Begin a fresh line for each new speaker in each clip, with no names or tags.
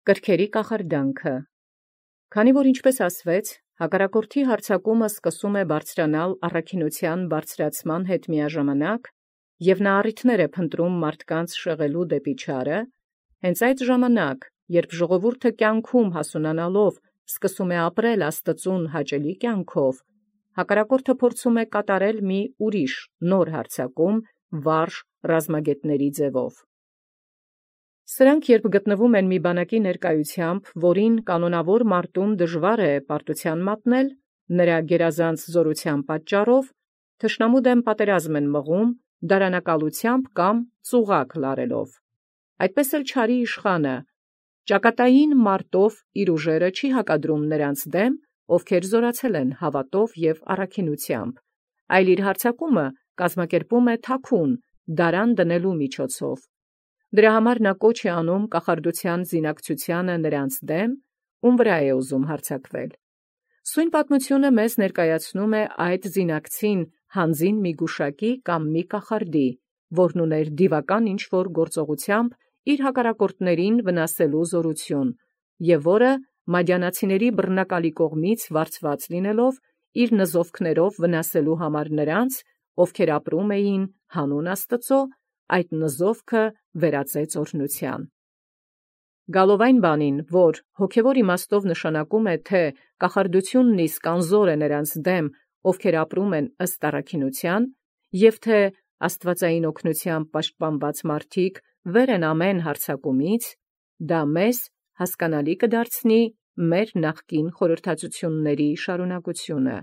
Կրքերի կախարդանքը։ Քանի որ ինչպես ասվեց, հակառակորդի հարձակումը սկսում է բարձրանալ առաքինութեան բարձրացման հետ միաժամանակ, և նա առիթներ է փնտրում մարդկանց շեղելու դեպի չարը, հենց այդ ժամանակ, երբ ժողովուրդը կյանքում հասունանալով սկսում է ապրել Աստծուն հաճելի կյանքով, հակառակորդը փորձում է կատարել մի ուրիշ նոր հարձակում վարժ ռազմագետների ձևով։ Սրանք երբ գտնվում են մի բանակի ներկայությամբ, որին կանոնավոր մարտում դժվար է պարտութեան մատնել, նրա գերազանց զորութեան պատճառով, թշնամու դեմ պատերազմ են մղում, դարանակալությամբ կամ ծուղակ լարելով։ Այդպես էլ չարի իշխանը ճակատային մարտով իր ուժերը չի հակադրում նրանց դեմ, ովքեր զորացել են հավատով և առաքինութեամբ, այլ իր հարձակումը կազմակերպում է թաքուն, դարան դնելու միջոցով։ Դրա համար նա կոչ է անում կախարդութեան զինակցութեանը նրանց դեմ, ում վրա է ուզում հարձակվել։ Սույն պատմությունը մեզ ներկայացնում է այդ զինակցին հանձին մի գուշակի կամ մի կախարդի, որն ուներ դիվական ինչ-որ գործողությամբ իր հակառակորդներին վնասելու զորություն, և որը մադիանացիների բռնակալի կողմից վարձված լինելով, իր նզովքներով վնասելու համար նրանց, ովքեր ապրում էին հանուն Աստծո, այդ նզովքը վերածեց օրհնութեան։ Գալով այն բանին, որ հոգևոր իմաստով նշանակում է, թե կախարդությունն իսկ անզոր է նրանց դեմ, ովքեր ապրում են ըստ առաքինութեան, և թե աստվածային օգնությամբ պաշտպանված մարդիկ վեր են ամեն հարձակումից, դա մեզ հասկանալի կդարձնի մեր նախկին խորհրդածությունների շարունակությունը։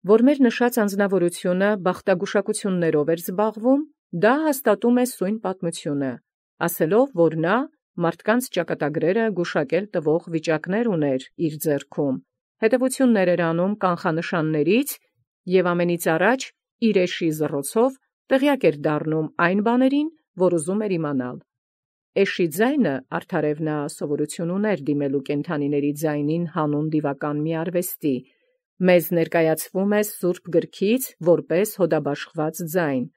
Որ մեր նշած անձնավորությունը բախտագուշակություններով էր զբաղվում, դա հաստատում է սույն պատմությունը, ասելով, որ նա մարդկանց ճակատագրերը գուշակել տվող վիճակներ ուներ իր ձեռքում, հետևություններ էր անում կանխանշաններից և ամենից առաջ իր էշի զռոցով տեղյակ էր դառնում այն բաներին, որ ուզում էր իմանալ։ Էշի ձայնը արդարև նա սովորություն ուներ դիմելու կենդանիների ձայնին հանուն դիվական մի արվեստի, մեզ ներկայացվում է Սուրբ գրքից որպես հոդաբաշխված ձայն։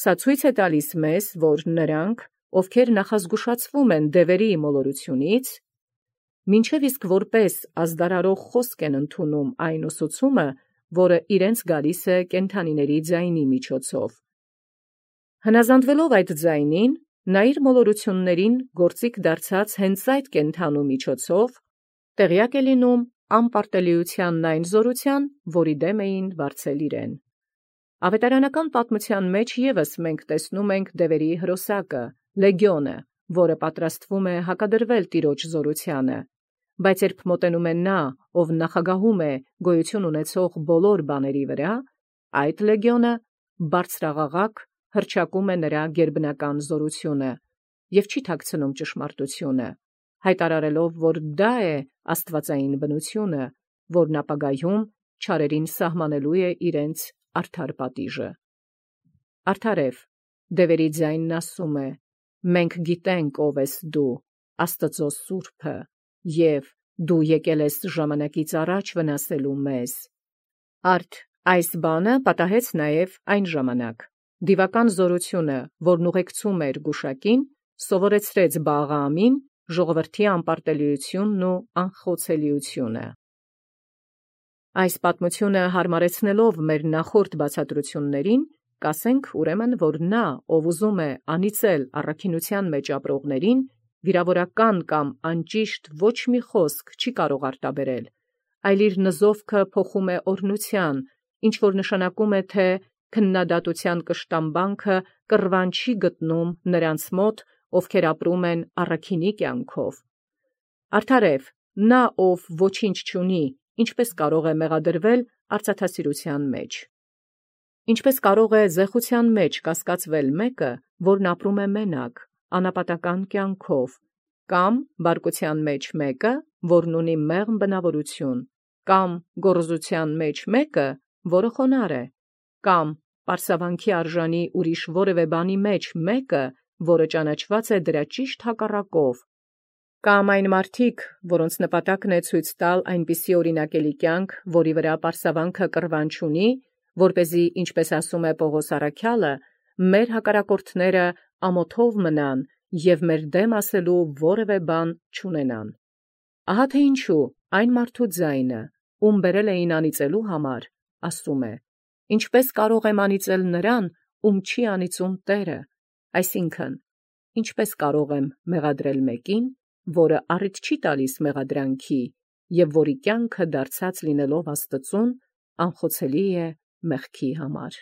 Սա ցույց է տալիս մեզ, որ նրանք, ովքեր նախազգուշացվում են դևերի մոլորությունից, մինչև իսկ որպես ազդարարող խոսք են ընդունում այն ուսուցումը, որը իրենց գալիս է կենդանիների ձայնի միջոցով։ Հնազանդվելով այդ ձայնին, նա իր մոլորություններին գործիք դարձած հենց այդ կենդանու միջոցով տեղյակ է լինում անպարտելիությանն այն զորության, որի դեմ էին վարձել իրեն։ Ավետարանական պատմության մեջ ևս մենք տեսնում ենք դևերի հրոսակը, լեգիոնը, որը պատրաստվում է հակադրվել տիրոջ զորությանը, բայց երբ մոտենում է նա, ով նախագահում է գոյություն ունեցող բոլոր բաների վրա, այդ լեգիոնը բարձրաղաղակ հռչակում է նրա գերբնական զորությունը և չի թաքցնում ճշմարտությունը, հայտարարելով, որ դա է աստվածային բնությունը, որն ապագայում չարերին սահմանելու է իրենց արդար պատիժը։ Արդարև, դևերի ձայնն ասում է. «Մենք գիտենք ով ես դու, Աստծո Սուրբը, և դու եկել ես ժամանակից առաջ վնասելու մեզ»։ Արդ այս բանը պատահեց նաև այն ժամանակ։ Դիվական զորությունը, որն ուղեկցում էր գուշակին, սովորեցրեց Բաղաամին ժողովրդի անպարտելիությունն ու անխոցելիությունը։ Այս պատմությունը հարմարեցնելով մեր նախորդ բացատրություններին, կասենք ուրեմն, որ նա, ով ուզում է անիծել առաքինության մեջ ապրողներին, վիրավորական կամ անճիշտ ոչ մի խոսք չի կարող արտաբերել, այլ իր նզովքը փոխում է օրհնության, ինչ որ նշանակում է, թե քննադատության կշտամբանքը կռվան չի գտնում նրանց մոտ, ովքեր ապրում են առաքինի կյանքով։ Արդարև, նա, ով ոչինչ չունի, ինչպես կարող է մեղադրվել արծաթասիրության մեջ։ Ինչպես կարող է զեղության մեջ կասկածվել մեկը, որն ապրում է մենակ, անապատական կյանքով, կամ բարկության մեջ մեկը, որն ունի մեղմ բնավորություն, կամ գոռոզության մեջ մեկը, որը խոնարհ է, կամ պարսավանքի արժանի ուրիշ որևէ բանի մեջ մեկը, որը ճանաչված է դրա ճիշտ հակառակով, կամ այն մարդիկ, որոնց նպատակն է ցույց տալ այնպիսի օրինակելի կյանք, որի վրա պարսավանքը կռվան չունի, որպեսզի, ինչպես ասում է Պողոս առաքյալը, մեր հակառակորդները ամոթով մնան և մեր դեմ ասելու որևէ բան չունենան։ Ահա թե ինչու այն մարդու ձայնը, ում բերել էին անիծելու համար, ասում է. ինչպես կարող եմ անիծել նրան, ում չի անիծում Տերը, այսինքն, ինչպես կարող եմ մեղադրել մեկին, որը առիթ չի տալիս մեղադրանքի, և որի կյանքը դարձած լինելով Աստծուն, անխոցելի է մեղքի համար։